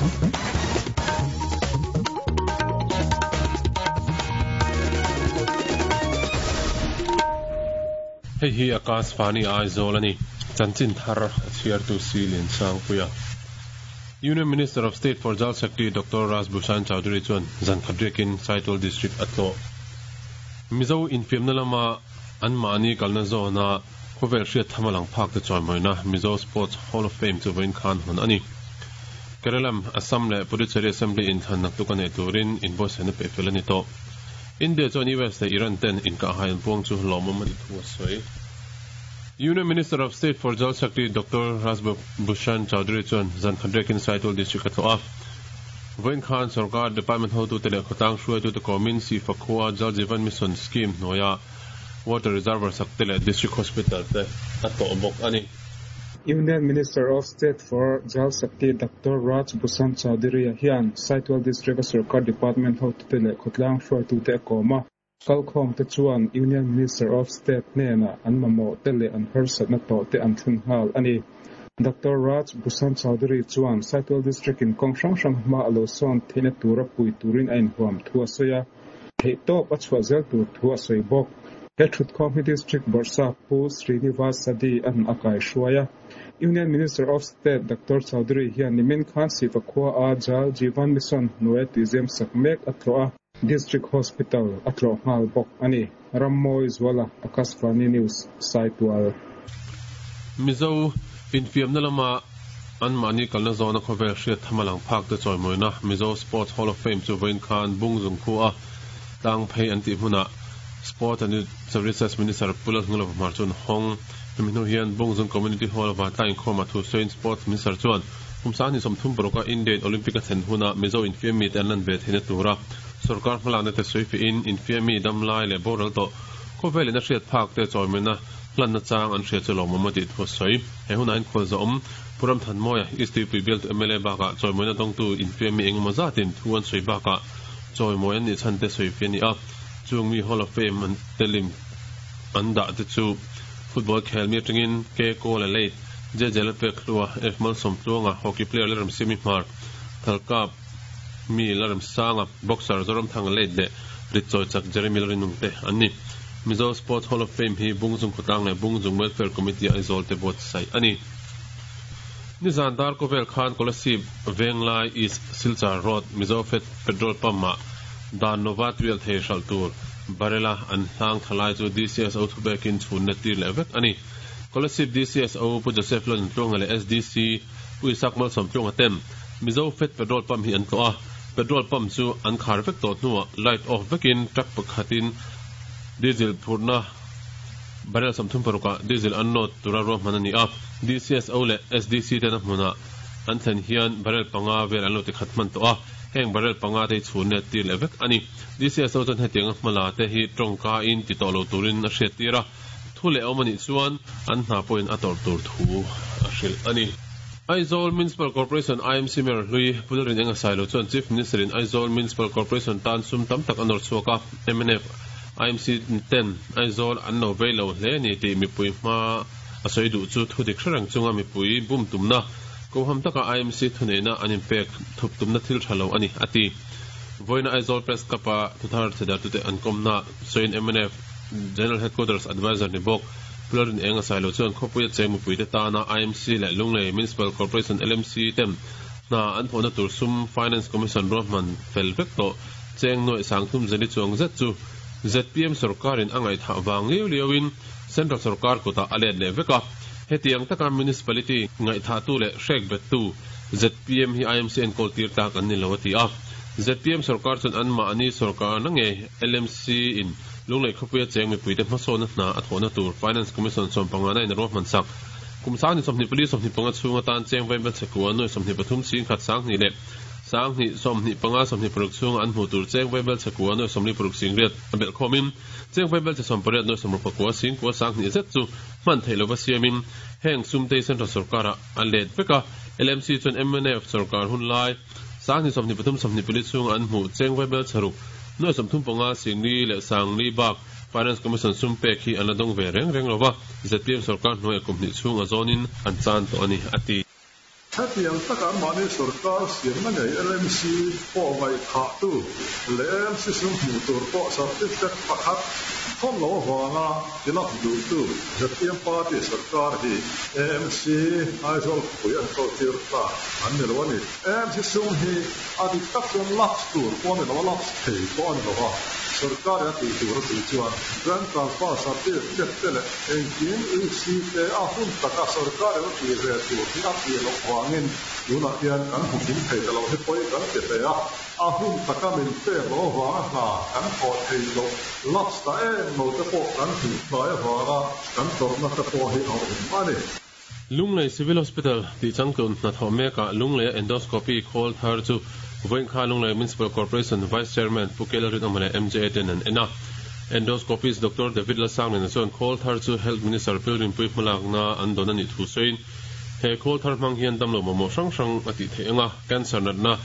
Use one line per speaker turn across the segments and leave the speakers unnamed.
Hei hi Akashvani Aizawl a ni. Chanchin thar a chhiartu Si Liansangpuia. Union Minister of State for Jal Shakti Doctor Raj Bhushan Chaudhary chuan zan khat riakin Saitual District a tlawh. Mizo infiamna lama anmahni kalna zawna khawvel hriat tham a lang phak te chawimawina Mizo Sports Hall of Fame chu vawiin khan hawn a ni. Keralam, Assam leh Puducherry Assembly inthlan naktuk a neih turin inbuatsaihna peih fel a ni tawh. India chuan US leh Iran ten inkahhai an puang chu lawmawm a ti thu a sawi. Union Minister of State for Jal Shakti Doctor Raj Bhushan Chaudhary chuan zan khat riakin Saitul District a tlawh a. Vawiin khan sorkar department hotute leh khawtlang hruaitute kawmin Sifa khua Jal Jeevan Mission Scheme hnuaia Water Reservoir sak te leh District Hospital te a tlawh bawk a ni.
Union Minister of State for Jal Shakti Doctor Raj Bhushan Chaudhary-a hian Saitual District-a sorkar department hotute leh khawtlang hruaitute a kawm a. Kalkhawmte chuan Union Minister of State hnenah an mamawhte leh an harsatna tawhte an thlun nghal a ni. Doctor Raj Bhushan Chaudhary chuan Saitual District-in kawng hrang hrang hma a lo sawn theihna tura pui turin a inhuam thu a sawi a. Theihtawp a chhuah zel tur thu a sawi bawk. He thutkhawm hi District Bawrhsap Pu Srinivas Sadi an a kaihruai a. Union Minister of State Doctor Chaudhary hian nimin khan Siva khua a Jal Jeevan Mission hnuaia tihzem sak mek a tlawh a. District Hospital a tlawh nghal bawk a ni. Rammawi Zuala, Akashvani News, Saitual.
Mizo infiamna lama anmahni kalna zawna khawvel hriat tham a lang phak te chawimawina Mizo Sports Hall of Fame chu vawiin khan Bungzung khua tlang phei an tih hmunah Sport and Youth Services Minister Pu Lalhnulova Hmar chuan hawng. Hemi hnu hian Bungzung Community Hall vantlang inkhawmah thu sawiin Sports Minister chuan kum 2036 a India in Olympic a thlen huna Mizo infiam mite an lan ve theihna tura Sorkar hmalakna te sawi fihin infiami damlai leh boral tawh khawvelin a hriat phak te chawimawina hlanna chang an hria chu lawmawm a tih thu a sawi. He hunah hian khualzawm Pu Ramthanmawia, East Tuipui bialtu mla bakah chawimawina dawngtu infiami engemaw zatin thu an sawi bakah chawimawi an nih chhan te sawi fi a ni a. Chung mi Hall of Fame an telim an dah te chu football khelmi atangin K Kawl a late, JJ Lalpekhlua, F Malsawmtluanga, hockey player Lalremsiami Hmar, Thalkap, Mi Lalremsanga, boxer Zoramthanga late leh ritchawi chak Jeremy Lalrinung te an ni. Mizo Sports Hall of Fame hi Bungzung Khawtlang leh Bungzung Welfare Committee Aizawl te buatsaih a ni. Nizan dar kawvel khan Kolasib Venglai East Silchar Road Mizo Fed Petrol Pump ah dan lova tuial thei hralh tur barrel-a an hlang thla lai chu DCSO thubekin chhunna tir leh vek a ni. Kolasib DCSO Pu Joseph Lalnuntluanga leh SDC Pu Isak Malsawmtluanga ten Mizo Fed Petrol Pump hi an tlawh a, petrol pump chu an khar vek tawh hnuah light off vekin truck pakhatin diesel phurhna barrel 36 ah diesel an load tura ruahman a ni a, DCSO leh SDC ten a hmunah an thlen hian barrel panga vel an lo ti khat hman tawh a, heng barrel panga te hi chhun let tir leh vek a ni. DCSO chuan hetianga hmala te hi tawngka in ti tawh lo turin a hriattir a, thu leh awm a nih chuan an hna pawhin a tawrh tur thu a hrilh a ni. Aizawl Municipal Corporation, IMC, Mayor hlui Pu Lalrin Enga Sailo chuan Chief Minister in Aizawl Municipal Corporation tan sum tam tak a nawr chhuak a, mnf, IMC ten Aizawl an lo vei lo hle a ni tih mipui hma a sawi duh chu thu dik hre reng chunga mipui bum tumna koham taka IMC thuneihna an inpek thup tumna thil tha lo a ni, a ti. Vawiina Aizawl Press Club-a thuthar chhedartute an kawmna sawiin mnf General Headquarters Adviser ni bawk Pu Lalrin Enga Sailo chuan khawpuia cheng mipuite tana IMC leh Lunglei Municipal Corporation, LMC, ten hna an thawhna tur sum Finance Commission ruahman fel vek tawh cheng nuaih sangthum zeli chuang zet chu zpm sorkarin a ngaihthah vang liau liauin Central sorkar kutah a let leh vek a. Hetiang taka Municipality ngaihthahtu leh hrek bettu zpm hi IMC enkawl tir tlak an ni lo a ti a. Zpm sorkar chuan anmahni sorkarna ngei LMC in Lunglei khawpuia cheng mipuite hmasawnna hna a thawhna tur Finance Commission sawmpangana in a ruahman sak. Kum 24 25 chhung atan cheng vaibel chhekua nuai 23 singkhat 20 leh 20 25 26 chhunga an hmuh tur cheng vaibel chhekua nuai 46 singriat a belh khawmin cheng vaibel che 18 nuai 61 singkua 20 zet chu hman theih lova siamin heng sumtei Central sorkarah a let vek a. LMC chuan mnf sorkar hun lai 20 23 24 chhunga an hmuh cheng vaibel chheruk Nuai 35 Singli leh Sangli bak Finance Commission sum pek hi an la dawng ve reng reng lo va, zpm sorkar hnuaiah kum hnih chhung a zawnin an chan tawh a ni, a ti.
Hetiang taka anmahni sorkar siamna ngei LMC pawh ngaihthahtu leh AMC sum hmuh tur pawh certificate pakhat thawn lo avanga tilak duhtu zpm party sorkar hi AMC Aizawl khawpui an kaltir ta an ni lo a ni. AMC sum hi a dik tak chuan lapse tur pawh a ni lo a, lapse thei pawh a ni lo a, sorkarin a tih tur a tih chuan bank transfer certificate te leh Engkim UC te a hun taka sorkarin a tih ve tur hi a tih loh vangin tunah hian kan hmu kim thei ta lo hi pawi kan ti hle a, a hun taka min pek loh avanga hna kan thawh theih loh lapse ta em lo te pawh kan hmuh tlai avanga kan tawrhna te pawh hi a awm a ni.
Lunglei Civil Hospital tih changtlun hnathawh mekah Lungleia Endoscopy khawl thar chu vawiinkha Lunglei Municipal Corporation Vice Chairman Pu Kela Rinawma leh MJA ten an en a. Endoscopist Doctor David Lalsangliana chuan khawl thar chu Health Minister Pilrinpui hmalakna an dawn a nih thu sawiin, he khawl thar hmang hian damlo mamawh hrang hrang a tih theih ang a, cancer natna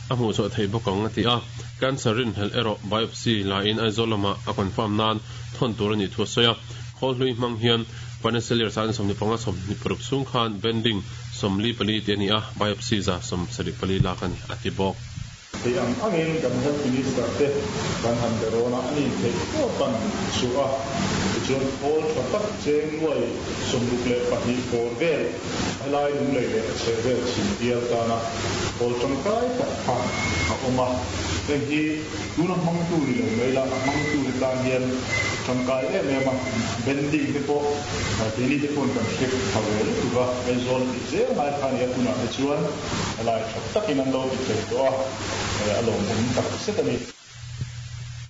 a hmuhchhuah theih bawk ang a ti a. Cancer rinhlelh erawh biopsy laiin Aizawl lamah a confirm nan thawn tur a nih thu a sawi a. Khawl hlui hmang hian Financial Year 25 26 chhung khan bending 44 tih a ni a, biopsy 174 lak a ni, a ti bawk.
Thei ang angin kan Health Minister te kan han be rawn a, a ni theih tawp an chhuah a, tichuan khawl tha tak cheng nuai 62 bawr vel helai Lunglei leh a chheh vel chhim bial tana khawl tangkai tak kha a awm a, heng hi Tuna hmangtu ni lo mai la, a hmangtu te tan hian tangkai em em a, bending te pawh keini te pawhin kan hre pha ve lutuk a, Aizawl a tih zel ngai kha a ni a, tunah te chuan helai tha takin an lo ti thei tawh a, a lawmawm tak zet a ni.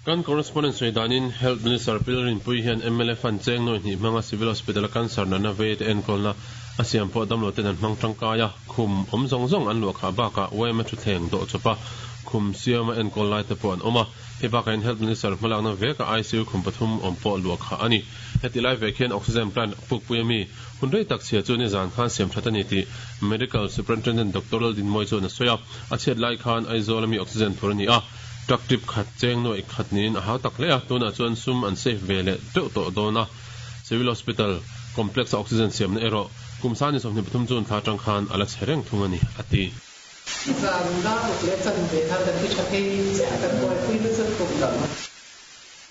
Kan correspondent sawi danin Health Minister Pil Rinpui hian mla fund cheng nawi hnih hmanga Civil Hospital a cancer natna vei te enkawlna a siam pawh damlo ten an hmang tangkai a, Khum awm zawng zawng an luah khah bakah yma thutthleng dawh chawpa khum siama enkawl lai te pawh an awm a. Hei bakah hian Health Minister hmalakna vekah ICU khum pathum awm pawh luah khah a ni. Heti lai vek hian Oxygen plant pukpui a mi hun rei tak chhia chu nizan khan siam that a ni tih Medical Superintendent Doctor Laldinmawi chuan a sawi a. A chhiat lai khan Aizawl a mi oxygen phur a ni a, truck trip khat cheng nuaih khat niin a hau tak hle a, tunah chuan sum an safe ve leh teuh tawh dawn a. Civil Hospital Complex a oxygen siamna erawh Kum sani 23 June thla atang khan a la chhe reng thung a ni, a ti.
Zan dar uk leh chan ve khan kan ti tha thei chiah a, kan buaipui nasa thung lo.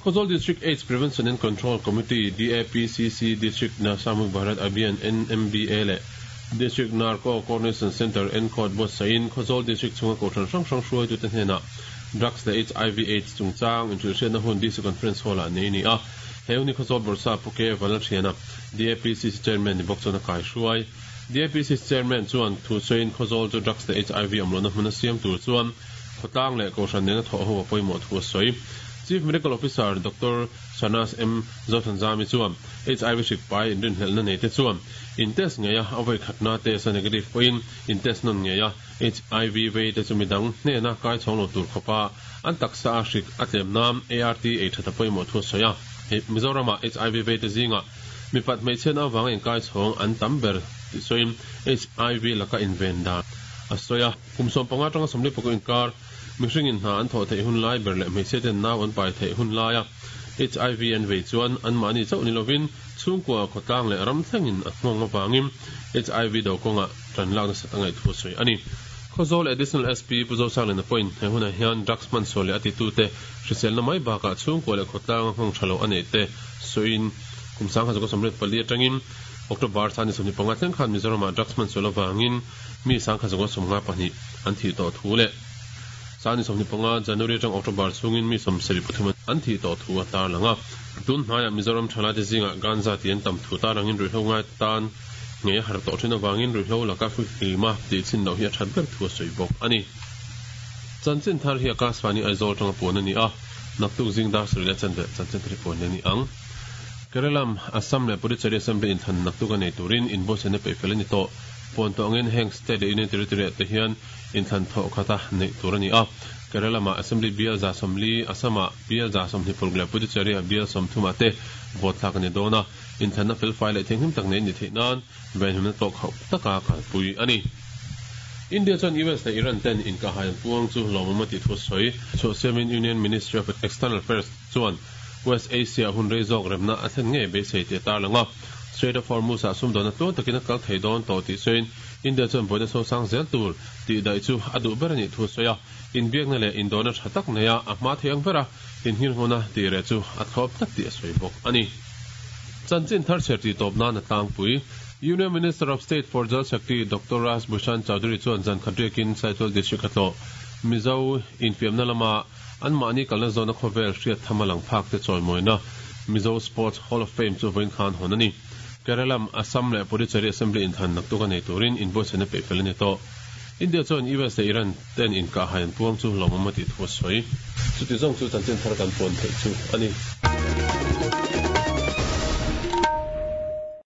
Khawzawl District AIDS Prevention and Control Committee, DAPCC, District Nasha Mukh Bharat Abhiyan, NMBA, leh District Narco Coordination Centre, NCOD, buatsaihin Khawzawl District chhunga kohhran hrang hrang hruaitute hnenah Drugs leh HIV AIDS chungchang inhrilhhriatna hun DC Conference Hall-ah nei a ni a. He hun hi Khawzawl Bawrhsa Pu K. Vanlalthiana, DAPCC Chairman ni bawk chuan a kaihruai. DAPCC Chairman chuan thu sawiin Khawzawl chu drugs leh HIV awm lohna hmun a siam tur chuan khawtlang leh kohhran nena thawh ho a pawimawh thu a sawi. Chief Medical Officer Doctor Shahnaz M. Zothanzami chuan HIV hrik pai inrinhlelhna nei te chuan in test ngei a, a vawi khatna test a negative pawhin in test nawn ngei a, HIV vei te chu midang hnena kai chhawng lo tur khawpa an taksa a hrik a tlem nan ART ei that a pawimawh thu a sawi a. Hei Mizoramah HIV vei te zingah Mipat hmeichhiatna avanga inkai chhawng an tam ber tih sawiin HIV laka inven dan a sawi a. Kum 15 atanga 40 inkar mihringin hna an thawh theih hun lai ber leh hmeichhiaten nau an pai theih hun laia HIV an vei chuan anmahni chauh ni lovin chhungkua, khawtlang leh ram thlengin a nghawng avangin HIV do kawngah tan lak nasat a ngaih thu a sawi a ni. Khawzawl Additional SP Pu Zosangliana pawhin he hunah hian drugs hmansual leh a titute hriselna mai bakah chhungkua leh khawtlanga nghawng tha lo a neih te sawiin Kum 1984 atangin October thla ni 25 thleng khan Mizoramah drugs hman sual avangin mi 1952 an thih tawh thu leh 25 January atang October chhungin mi 73 an thih tawh thu a tarlang a. Tun hnaiah Mizoram thalaite zingah ganja tih an tam thu tarlangin ruihhlo ngai tan ngei a har tawh thin avangin ruihhlo laka fihlim a tih chhin loh hi a that ber thu a sawi bawk a ni. Chanchin thar hi Akashvani Aizawl atanga puan a ni a, naktuk zing dar sarih leh chanve chanchin thar hi puan leh a ni ang. Kerala, Assam leh Puducherry Assembly inthlan naktuk a nei turin inbuatsaihna peih fel a ni tawh. Puan tawh angin heng state leh union territory ah te hian inthlan thawh khata neih tur a ni a. Kerala-ah Assembly bial 40, Assam-ah bial 26 leh Puducherry-ah bial 30 ah te vote thlak a ni dawn a. Inthlanna felfai leh thianghlim tak nei a ni theih nan venhimna tawh khauh taka kalpui a ni. India chuan US leh Iran ten inkahhai an puang chu lawmawm a tih thu a sawi. Chhuahsiamin Union Ministry of External Affairs chuan West Asia hun rei zawk remna a thlen ngei beisei tih a tarlang a. Strait of Hormuz-ah sumdawnna tluang takin a kal thei dawn tawh tih sawiin India chuan buaina sosang zel tur tih daih chu a duh ber a nih thu a sawi a. Inbiakna leh indawrna tha tak neia a hma thei ang bera inhngirnghawna tih reh chu a thlawp tlat tih a sawi bawk a ni. Chanchin thar chhiar tih tawp nan a tlangpui. Union Minister of State for Jal Shakti Doctor Raj Bhushan Chaudhary chuan zan khat riakin Saitual District a tlawh. Mizo infiamna lama anmahni kalna zawna khawvel hriat tham a lang phak te chawimawina Mizo Sports Hall of Fame chu vawiin khan hawn a ni. Keralam, Assam leh Puducherry Assembly inthlan naktuk a nei turin inbuatsaihna peih fel a ni tawh. India chuan US leh Iran ten inkahhai an puang chu lawmawm a tih thu a sawi. Chuti zawng chu chanchin thar kan puan theih chu a ni.